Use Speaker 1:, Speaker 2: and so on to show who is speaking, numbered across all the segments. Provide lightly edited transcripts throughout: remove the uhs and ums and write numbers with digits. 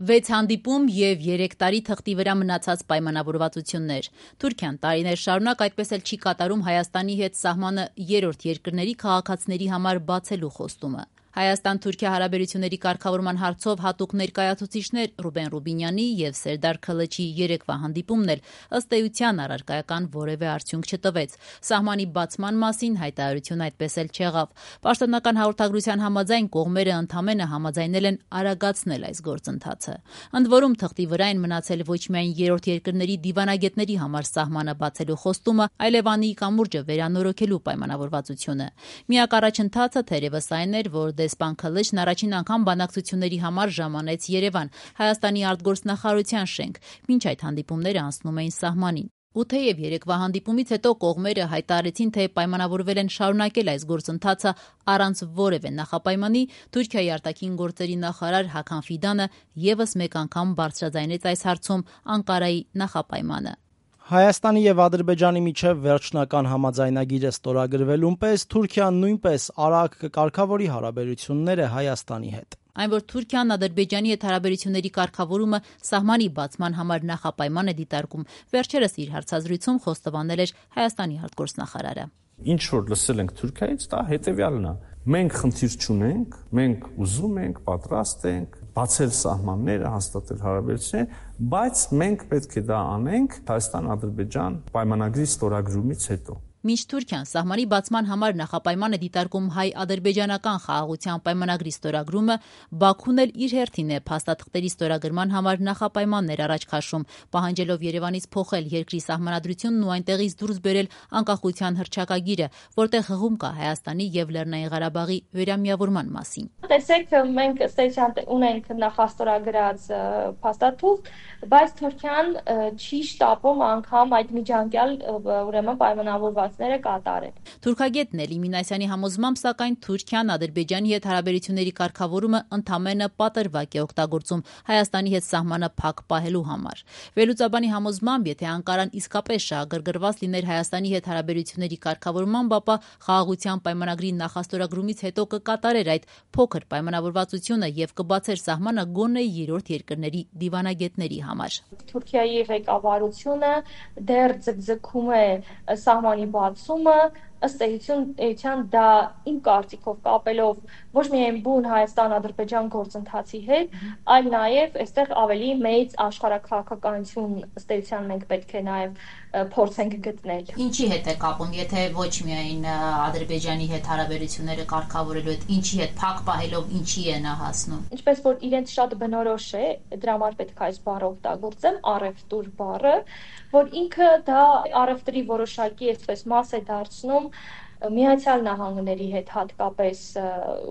Speaker 1: 6 հանդիպում և 3 տարի թղթի վրա մնացած պայմանավորվածություններ։ Թուրքիան տարիներ շարունակ այդպես էլ չի կատարում Հայաստանի հետ սահմանը երրորդ երկրների քաղաքացիների համար բացելու խոստումը։ Հայաստան-Թուրքիա հարաբերությունների կարգավորման հարցով հատուկ ներկայացուցիչներ Ռուբեն Ռուբինյանի և Սերդար Քլչի երեկվա հանդիպումն էլ ըստ էության առարկայական որևէ արդյունք չտվեց։ Սահմանի բացման մասին հայտարարություն այդպես էլ չեղավ։ Պաշտոնական հաղորդագրության համաձայն կողմերը ընդամենը համաձայնել են արագացնել այս գործընթացը։ Ընդ որում թղթի վրա են մնացել ոչ միայն երրորդ երկրների դիվանագետների համար սահմանը բացելու խոստումը, այլև Անիի կամուրջը վերանորոգելու պայմանավորվածությունը։ Միակ առաջընթացը թերևս այն էր, որ դեսպան Քլչն առաջին անգամ բանակցությունների համար ժամանեց Երևան, Հայաստանի արտգործնախարարության շենք, մինչ այդ հանդիպումները անցնում էին սահմանին։ Ու թեև երեկվա հանդիպումից հետո կողմերը հայտարարեցին, թե պայմանավորվել են շարունակել այս գործընթացը առանց որևէ նախապայմանի, Թուրքիայի արտաքին գործերի նախարար Հական Ֆիդանը ևս մեկ անգամ բարձրաձայնեց այս հարցում Անկարայի նախապայմանը։
Speaker 2: Հայաստանի և Ադրբեջանի միջև վերջնական համաձայնագիրը ստորագրվելուն պես Թուրքիան նույնպես արագ կկարգավորի հարաբերությունները Հայաստանի հետ։
Speaker 1: Այն, որ Թուրքիան Ադրբեջանի հետ հարաբերությունների կարգավորումը սահմանի բացման համար նախապայման է դիտարկում, վերջերս իր հարցազրույցում խոստովանել էր Հայաստանի արտգործնախարարը։
Speaker 3: Ինչ որ լսել ենք Թուրքիայից, դա հետևյալն է. մենք խնդիր չունենք, մենք ուզում ենք, պատրաստ ենք բացել սահմանները, հաստատել հարաբերություններ, բայց մենք պետք է դա անենք Հայաստան-Ադրբեջան պայմանագրի ստորագրումից հետո։
Speaker 1: Մինչ Թուրքիան սահմանի բացման համար նախապայման է դիտարկում հայ-ադրբեջանական խաղաղության պայմանագրի ստորագրումը, Բաքուն էլ իր հերթին է փաստաթղթերի ստորագրման համար նախապայմաններ առաջ քաշում, պահանջելով Երևանից փոխել երկրի սահմանադրությունն ու այնտեղից դուրս բերել անկախության հռչակագիրը, որտեղ հղում կա Հայաստանի և Լեռնային Ղարաբաղի վերամիավորման մասին։
Speaker 4: Տեսեք, մենք ունենք նախաստորագրած փաստաթուղթ, բայց Թուրքիան չի շտապում անգամ այդ միջանկյալ ուրեմն պայմանավորվածները կատարել։
Speaker 1: Թուրքագետ Նելի Մինասյանի համոզմամբ, սակայն Թուրքիան Ադրբեջանի հետ հարաբերությունների կարգավորումը ընդամենը պատրվակ է օգտագործում Հայաստանի հետ սահմանը փակ պահելու համար։ Վերլուծաբանի համոզմամբ, եթե Անկարան իսկապես շահագրգռված լիներ Հայաստանի հետ հարաբերությունների կարգավորմամբ, ապա խաղաղության պայմանագրի նախաստորագրումից հետո կկատարեր այդ փոքր պայմանավորվածությունը և կբացեր սահմանը գոնե երրորդ երկրների դիվանագետների համար։
Speaker 4: Թուրքիայի ղեկավարությունը դեռ ձգձգում է սահմանի բացումը, ըստ էության դա իմ կարծիքով կապելով ոչ միայն բուն Հայաստան-Ադրբեջան գործընթացի հետ, այլ նաև այստեղ ավելի մեծ աշխարհաքաղաքականություն ըստ էության մենք պետք է նաև փորձենք գտնել։
Speaker 1: Ինչի հետ է կապում, եթե ոչ միայն Ադրբեջանի հետ հարաբերությունները կարգավորելու հետ, ինչի հետ փակ պահելով ինչի է նա հասնում։
Speaker 4: Ինչպես որ իրենց շատ բնորոշ է, դրա համար պետք է այս բառը օգտագործեմ, առևտուր բառը, որ ինքը դա առևտրի որոշակի այսպես մաս է դարձնում Միացյալ Նահանգների հետ հատկապես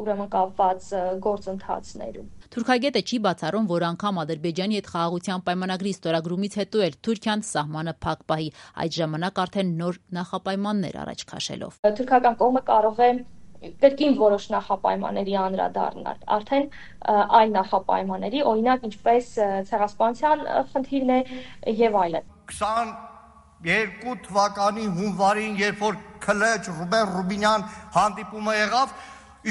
Speaker 4: ուրեմն կապված գործընթացներում։
Speaker 1: Թուրքագետը չի բացառում, որ անգամ Ադրբեջանի հետ խաղաղության պայմանագրի ստորագրումից հետո էլ Թուրքիան սահմանը փակ պահի, այդ ժամանակ արդեն նոր նախապայմաններ առաջ քաշելով։
Speaker 4: Թուրքական կողմը կարող է կրկին որոշ նախապայմանների անդրադառնալ, արդեն այլ նախապայմանների, օրինակ ինչպես ցեղասպանության խնդիրն է եւ այլն։
Speaker 5: 22 թվականի հունվարին, երբ որ Քլչ Ռուբեն Ռուբինյան հանդիպումը եղավ,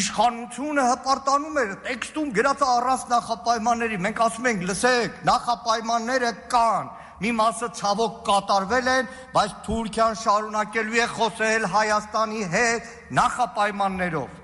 Speaker 5: իշխանությունը հպարտանում էր, տեքստում գրած առանց նախապայմանների։ Մենք ասում ենք, լսեք, նախապայմանները կան, մի մասը ցավոք կատարվել են, բայց Թուրքիան շարունակելու է խոսել Հայաստանի հետ նախապայմաններով։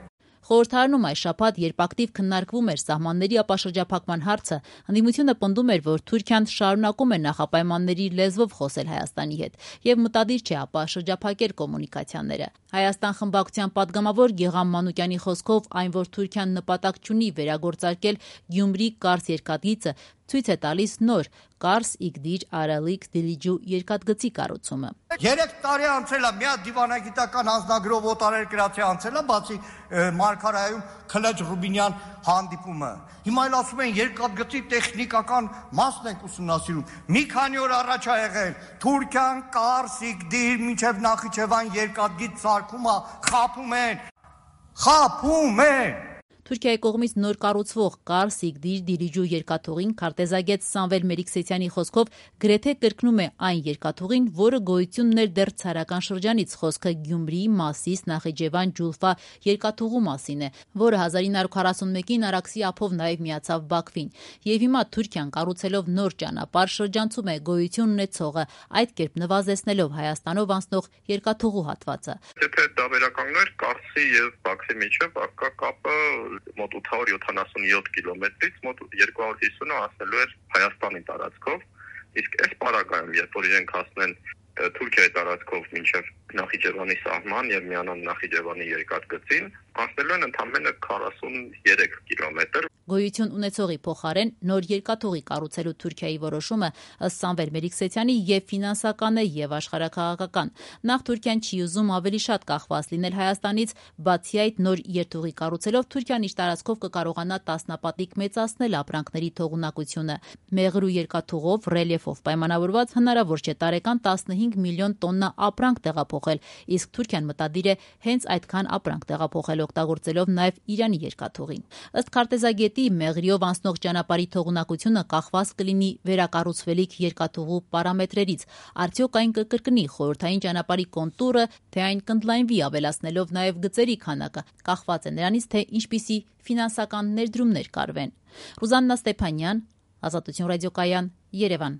Speaker 1: Խորհրդարանում այս շաբաթ, երբ ակտիվ քննարկվում էր սահմանների ապաշրջափակման հարցը, ընդդիմությունը պնդում էր, որ Թուրքիան շարունակում է նախապայմանների լեզվով խոսել Հայաստանի հետ և մտադիր չէ ապաշրջափակել կոմունիկացիաները։ Հայաստան խմբակցության պատգամավոր Գեղամ Մանուկյանի խոսքով, այն, որ Թուրքիան նպատակ չունի վերագործարկել Գյումրի-Կարս երկաթգիծը, ցույց է տալիս նոր Կարս-Իգդիր-Արալիկ Դիլիջու երկաթգծի կառուցումը։
Speaker 5: 3 տարի անցել է, մի հատ դիվանագիտական անձնագրով օտարերկրացի անցել է, բացի Մարգարայում Քլչ Ռուբինյան հանդիպումը։ Հիմա էլ ասում են երկաթգծի տեխնիկական մասն ենք ուսումնասիրում։ Մի քանի օր առաջ ա եղել Թուրքիան Կարս-Իգդիր մինչև Նախիջևան երկաթգիծ սարքում է, խաբում են։
Speaker 1: Թուրքիայի կողմից նոր կառուցվող Կար Սիգդիր Դիլիջու երկաթուղին քարտեզագետ Սամվել Մելիքսեթյանի խոսքով գրեթե կրկնում է այն երկաթուղին, որը գոյություն ուներ դեռ ցարական շրջանից, խոսքը Գյումրի, Մասիս, Նախիջևան, Ջուլֆա երկաթուղու մասին է, որը 1941-ին Արաքսի ափով նաև միացավ Բաքվին։ Եվ հիմա Թուրքիան կառուցելով նոր ճանապարհ շրջանցում է գոյություն ունեցողը, այդ կերպ նվազեցնելով Հայաստանով անցնող երկաթուղու հատվածը։
Speaker 6: Եթե դա վերականգներ Կարսի եւ Բաքվի միջև ակա կապը մոտ 877 կիլոմետրից մոտ 250-ը հասնելու էր Հայաստանի տարածքով, իսկ այս պարագայում, երբ որ իրենք հասնեն Թուրքիայի տարածքով մինչև Նախիջևանի սահման եւ միանան Նախիջևանի երկաթգծին, անցնելու են ընդամենը 43 կիլոմետր։
Speaker 1: Գոյություն ունեցողի փոխարեն նոր երկաթուղի կառուցելու Թուրքիայի որոշումը ըստ Սամվել Մելիքսեթյանի եւ ֆինանսական է եւ աշխարհաքաղաքական։ Նախ Թուրքիան չի ուզում ավելի շատ կախված լինել Հայաստանից, բացի այդ նոր երթուղի կառուցելով Թուրքիան իր տարածքով կկարողանա տասնապատիկ մեծացնել ապրանքների թողունակությունը։ Մեղրու երկաթուղով ռելիեֆով պայմանավորված հնարավոր չէ տարեկան 15 միլիոն տոննա ապրանք տեղափոխել, իսկ Թուրքիան մտադիր է հենց այդքան ապրանք տեղափոխել օգտագործելով նաև Իրանի երկաթուղին։ Ըստ քարտեզագետի Մեղրիով անցնող ճանապարհի թողունակությունը կախված կլինի վերակառուցվելիք երկաթուղու պարամետրերից։ Արդյոք այն կկրկնի խորհրդային ճանապարհի կոնտուրը, թե այն կընդլայնվի ավելացնելով նաև գծերի քանակը, կախված է նրանից, թե ինչպիսի ֆինանսական ներդրումներ կարվեն։ Ռուզաննա Ստեփանյան, Ազատություն ռադիոկայան, Երևան։